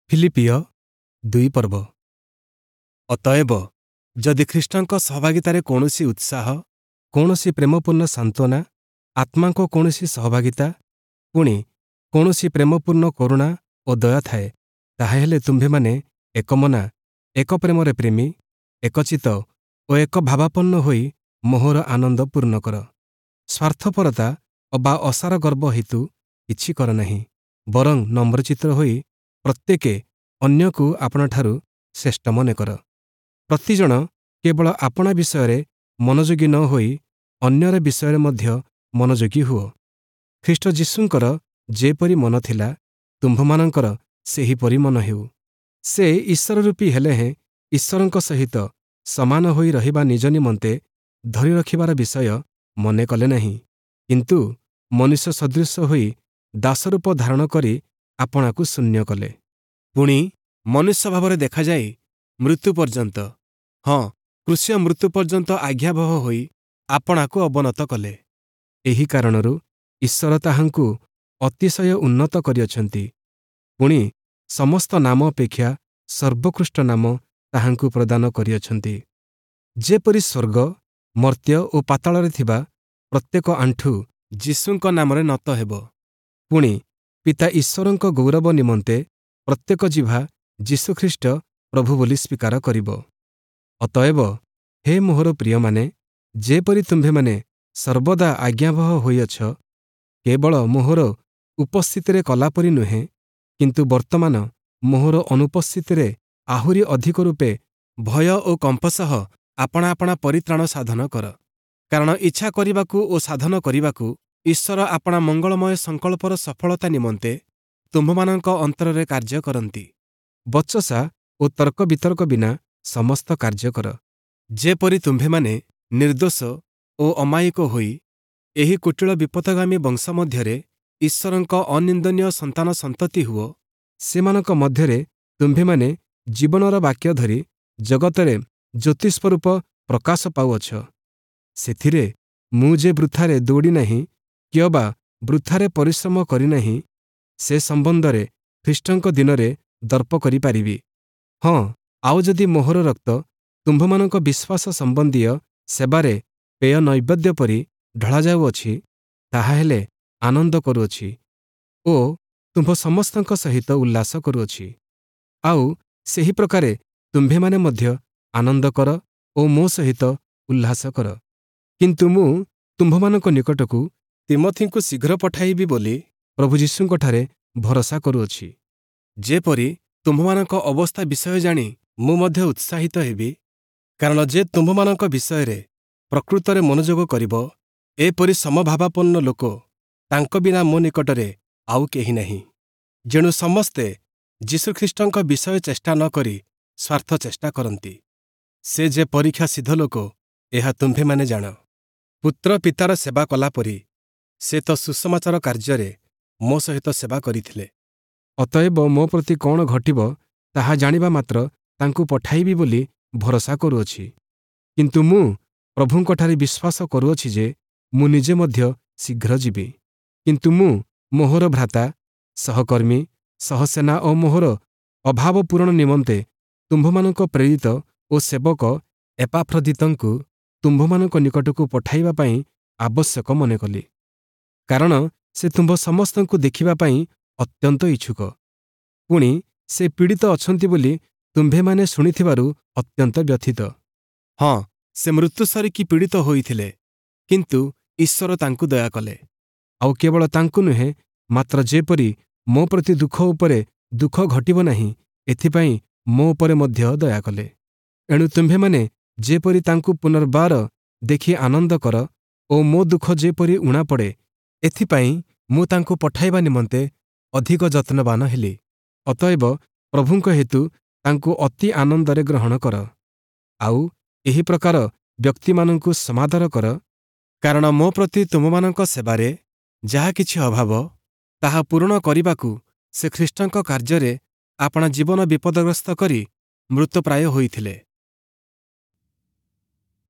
ଫିଲିପ୍ପୀୟ 2 ପର୍ବ। ଅତଏବ ଯଦି ଖ୍ରୀଷ୍ଟଙ୍କ ସହଭାଗିତାରେ କୌଣସି ଉତ୍ସାହ, କୌଣସି ପ୍ରେମପୂର୍ଣ୍ଣ ସାନ୍ତ୍ୱନା, ଆତ୍ମାଙ୍କ କୌଣସି ସହଭାଗିତା, ପୁଣି କୌଣସି ପ୍ରେମପୂର୍ଣ୍ଣ କରୁଣା ଓ ଦୟା ଥାଏ, ତାହାହେଲେ ତୁମ୍ଭେମାନେ ଏକମନା, ଏକ ପ୍ରେମରେ ପ୍ରେମୀ, ଏକଚିତ୍ତ ଓ ଏକ ଭାବାପନ୍ନ ହୋଇ ମୋହର ଆନନ୍ଦ ପୂର୍ଣ୍ଣ କର। ସ୍ୱାର୍ଥପରତା ଅବା ଅସାର ଗର୍ବ ହେତୁ କିଛି କର ନାହିଁ, ବରଂ ନମ୍ରଚିତ୍ତ ହୋଇ ପ୍ରତ୍ୟେକେ ଅନ୍ୟକୁ ଆପଣାଠାରୁ ଶ୍ରେଷ୍ଠ ମନେ କର। ପ୍ରତିଜଣ କେବଳ ଆପଣା ବିଷୟରେ ମନୋଯୋଗୀ ନ ହୋଇ ଅନ୍ୟର ବିଷୟରେ ମଧ୍ୟ ମନୋଯୋଗୀ ହୁଅ। ଖ୍ରୀଷ୍ଟ ଯୀଶୁଙ୍କର ଯେପରି ମନ ଥିଲା, ତୁମ୍ଭମାନଙ୍କର ସେହିପରି ମନ ହେଉ। ସେ ଈଶ୍ୱର ରୂପୀ ହେଲେ ହେଁ ଈଶ୍ୱରଙ୍କ ସହିତ ସମାନ ହୋଇ ରହିବା ନିଜ ନିମନ୍ତେ ଧରି ରଖିବାର ବିଷୟ ମନେ କଲେ ନାହିଁ, କିନ୍ତୁ ମନୁଷ୍ୟ ସଦୃଶ ହୋଇ ଦାସରୂପ ଧାରଣ କରି ଆପଣାକୁ ଶୂନ୍ୟ କଲେ। ପୁଣି ମନୁଷ୍ୟ ଭାବରେ ଦେଖାଯାଇ ମୃତ୍ୟୁ ପର୍ଯ୍ୟନ୍ତ, ହଁ, କ୍ରୁଶୀୟ ମୃତ୍ୟୁ ପର୍ଯ୍ୟନ୍ତ ଆଜ୍ଞାବହ ହୋଇ ଆପଣାକୁ ଅବନତ କଲେ। ଏହି କାରଣରୁ ଈଶ୍ୱର ତାହାଙ୍କୁ ଅତିଶୟ ଉନ୍ନତ କରିଅଛନ୍ତି, ପୁଣି ସମସ୍ତ ନାମ ଅପେକ୍ଷା ସର୍ବୋତ୍କୃଷ୍ଟ ନାମ ତାହାଙ୍କୁ ପ୍ରଦାନ କରିଅଛନ୍ତି, ଯେପରି ସ୍ୱର୍ଗ, ମର୍ତ୍ତ୍ୟ ଓ ପାତାଳରେ ଥିବା ପ୍ରତ୍ୟେକ ଆଣ୍ଠୁ ଯୀଶୁଙ୍କ ନାମରେ ନତ ହେବ, ପୁଣି ପିତା ଈଶ୍ୱରଙ୍କ ଗୌରବ ନିମନ୍ତେ ପ୍ରତ୍ୟେକ ଜିହ୍ବା ଯୀଶୁଖ୍ରୀଷ୍ଟ ପ୍ରଭୁ ବୋଲି ସ୍ୱୀକାର କରିବ। ଅତଏବ ହେ ମୋହର ପ୍ରିୟମାନେ, ଯେପରି ତୁମ୍ଭେମାନେ ସର୍ବଦା ଆଜ୍ଞାବହ ହୋଇଅଛ, କେବଳ ମୋହର ଉପସ୍ଥିତିରେ କଲାପରି ନୁହେଁ, କିନ୍ତୁ ବର୍ତ୍ତମାନ ମୋହର ଅନୁପସ୍ଥିତିରେ ଆହୁରି ଅଧିକ ରୂପେ ଭୟ ଓ କମ୍ପ ସହ ଆପଣା ଆପଣା ପରିତ୍ରାଣ ସାଧନ କର। କାରଣ ଇଚ୍ଛା କରିବାକୁ ଓ ସାଧନ କରିବାକୁ ଈଶ୍ୱର ଆପଣା ମଙ୍ଗଳମୟ ସଂକଳ୍ପର ସଫଳତା ନିମନ୍ତେ ତୁମ୍ଭମାନଙ୍କ ଅନ୍ତରରେ କାର୍ଯ୍ୟ କରନ୍ତି। ବଚସା ଓ ତର୍କ ବିତର୍କ ବିନା ସମସ୍ତ କାର୍ଯ୍ୟ କର, ଯେପରି ତୁମ୍ଭେମାନେ ନିର୍ଦ୍ଦୋଷ ଓ ଅମାୟିକ ହୋଇ ଏହି କୁଟିଳ ବିପଥଗାମୀ ବଂଶ ମଧ୍ୟରେ ଈଶ୍ୱରଙ୍କ ଅନିନ୍ଦନୀୟ ସନ୍ତାନ ସନ୍ତତି ହୁଅ। ସେମାନଙ୍କ ମଧ୍ୟରେ ତୁମ୍ଭେମାନେ ଜୀବନର ବାକ୍ୟ ଧରି ଜଗତରେ ଜ୍ୟୋତିସ୍ୱରୂପ ପ୍ରକାଶ ପାଉଅଛ। ସେଥିରେ ମୁଁ ଯେ ବୃଥାରେ ଦୌଡ଼ି ନାହିଁ କିଅବା ବୃଥାରେ ପରିଶ୍ରମ କରିନାହିଁ, ସେ ସମ୍ବନ୍ଧରେ ଖ୍ରୀଷ୍ଟଙ୍କ ଦିନରେ ଦର୍ପ କରିପାରିବି। ହଁ, ଆଉ ଯଦି ମୋହର ରକ୍ତ ତୁମ୍ଭମାନଙ୍କ ବିଶ୍ୱାସ ସମ୍ବନ୍ଧୀୟ ସେବାରେ ପେୟ ନୈବେଦ୍ୟ ପରି ଢଳାଯାଉଅଛି, ତାହାହେଲେ ଆନନ୍ଦ କରୁଅଛି ଓ ତୁମ୍ଭ ସମସ୍ତଙ୍କ ସହିତ ଉଲ୍ଲାସ କରୁଅଛି। ଆଉ ସେହି ପ୍ରକାରେ ତୁମ୍ଭେମାନେ ମଧ୍ୟ ଆନନ୍ଦ କର ଓ ମୋ ସହିତ ଉଲ୍ଲାସ କର। କିନ୍ତୁ ମୁଁ ତୁମ୍ଭମାନଙ୍କ ନିକଟକୁ ତୀମଥିଙ୍କୁ ଶୀଘ୍ର ପଠାଇବି ବୋଲି ପ୍ରଭୁ ଯୀଶୁଙ୍କଠାରେ ଭରସା କରୁଅଛି, ଯେପରି ତୁମ୍ଭମାନଙ୍କ ଅବସ୍ଥା ବିଷୟ ଜାଣି ମୁଁ ମଧ୍ୟ ଉତ୍ସାହିତ ହେବି। କାରଣ ଯେ ତୁମ୍ଭମାନଙ୍କ ବିଷୟରେ ପ୍ରକୃତରେ ମନୋଯୋଗ କରିବ, ଏପରି ସମଭାବାପନ୍ନ ଲୋକ ତାଙ୍କ ବିନା ମୋ ନିକଟରେ ଆଉ କେହି ନାହିଁ। ଯେଣୁ ସମସ୍ତେ ଯୀଶୁଖ୍ରୀଷ୍ଟଙ୍କ ବିଷୟ ଚେଷ୍ଟା ନ କରି ସ୍ୱାର୍ଥ ଚେଷ୍ଟା କରନ୍ତି। ସେ ଯେ ପରୀକ୍ଷା ସିଦ୍ଧ ଲୋକ, ଏହା ତୁମ୍ଭେମାନେ ଜାଣ। ପୁତ୍ର ପିତାର ସେବା କଲାପରି ସେ ତ ସୁସମାଚାର କାର୍ଯ୍ୟରେ ମୋ ସହିତ ସେବା କରିଥିଲେ। ଅତଏବ ମୋ ପ୍ରତି କ'ଣ ଘଟିବ ତାହା ଜାଣିବା ମାତ୍ର ତାଙ୍କୁ ପଠାଇବି ବୋଲି ଭରସା କରୁଅଛି। କିନ୍ତୁ ମୁଁ ପ୍ରଭୁଙ୍କଠାରେ ବିଶ୍ୱାସ କରୁଅଛି ଯେ ମୁଁ ନିଜେ ମଧ୍ୟ ଶୀଘ୍ର ଯିବି। କିନ୍ତୁ ମୁଁ ମୋହର ଭ୍ରାତା, ସହକର୍ମୀ, ସହସେନା ଓ ମୋହର ଅଭାବ ପୂରଣ ନିମନ୍ତେ ତୁମ୍ଭମାନଙ୍କ ପ୍ରେରିତ ଓ ସେବକ ଏପାଫ୍ରଦିତଙ୍କୁ ତୁମ୍ଭମାନଙ୍କ ନିକଟକୁ ପଠାଇବା ପାଇଁ ଆବଶ୍ୟକ ମନେ କଲି, କାରଣ ସେ ତୁମ୍ଭ ସମସ୍ତଙ୍କୁ ଦେଖିବା ପାଇଁ ଅତ୍ୟନ୍ତ ଇଚ୍ଛୁକ। ପୁଣି ସେ ପୀଡ଼ିତ ଅଛନ୍ତି ବୋଲି ତୁମ୍ଭେମାନେ ଶୁଣିଥିବାରୁ ଅତ୍ୟନ୍ତ ବ୍ୟଥିତ। ହଁ, ସେ ମୃତ୍ୟୁ ସରିକି ପୀଡ଼ିତ ହୋଇଥିଲେ, କିନ୍ତୁ ଈଶ୍ୱର ତାଙ୍କୁ ଦୟା କଲେ। ଆଉ କେବଳ ତାଙ୍କୁ ନୁହେଁ, ମାତ୍ର ଯେପରି ମୋ ପ୍ରତି ଦୁଃଖ ଉପରେ ଦୁଃଖ ଘଟିବ ନାହିଁ, ଏଥିପାଇଁ ମୋ ଉପରେ ମଧ୍ୟ ଦୟା କଲେ। ଏଣୁ ତୁମ୍ଭେମାନେ ଯେପରି ତାଙ୍କୁ ପୁନର୍ବାର ଦେଖି ଆନନ୍ଦ କର ଓ ମୋ ଦୁଃଖ ଯେପରି ଊଣା ପଡ଼େ, ଏଥିପାଇଁ ମୁଁ ତାଙ୍କୁ ପଠାଇବା ନିମନ୍ତେ ଅଧିକ ଯତ୍ନବାନ ହେଲି। ଅତଏବ ପ୍ରଭୁଙ୍କ ହେତୁ ତାଙ୍କୁ ଅତି ଆନନ୍ଦରେ ଗ୍ରହଣ କର, ଆଉ ଏହି ପ୍ରକାର ବ୍ୟକ୍ତିମାନଙ୍କୁ ସମାଦର କର, କାରଣ ମୋ ପ୍ରତି ତୁମମାନଙ୍କ ସେବାରେ ଯାହା କିଛି ଅଭାବ, ତାହା ପୂରଣ କରିବାକୁ ସେ ଖ୍ରୀଷ୍ଟଙ୍କ କାର୍ଯ୍ୟରେ ଆପଣା ଜୀବନ ବିପଦଗ୍ରସ୍ତ କରି ମୃତପ୍ରାୟ ହୋଇଥିଲେ।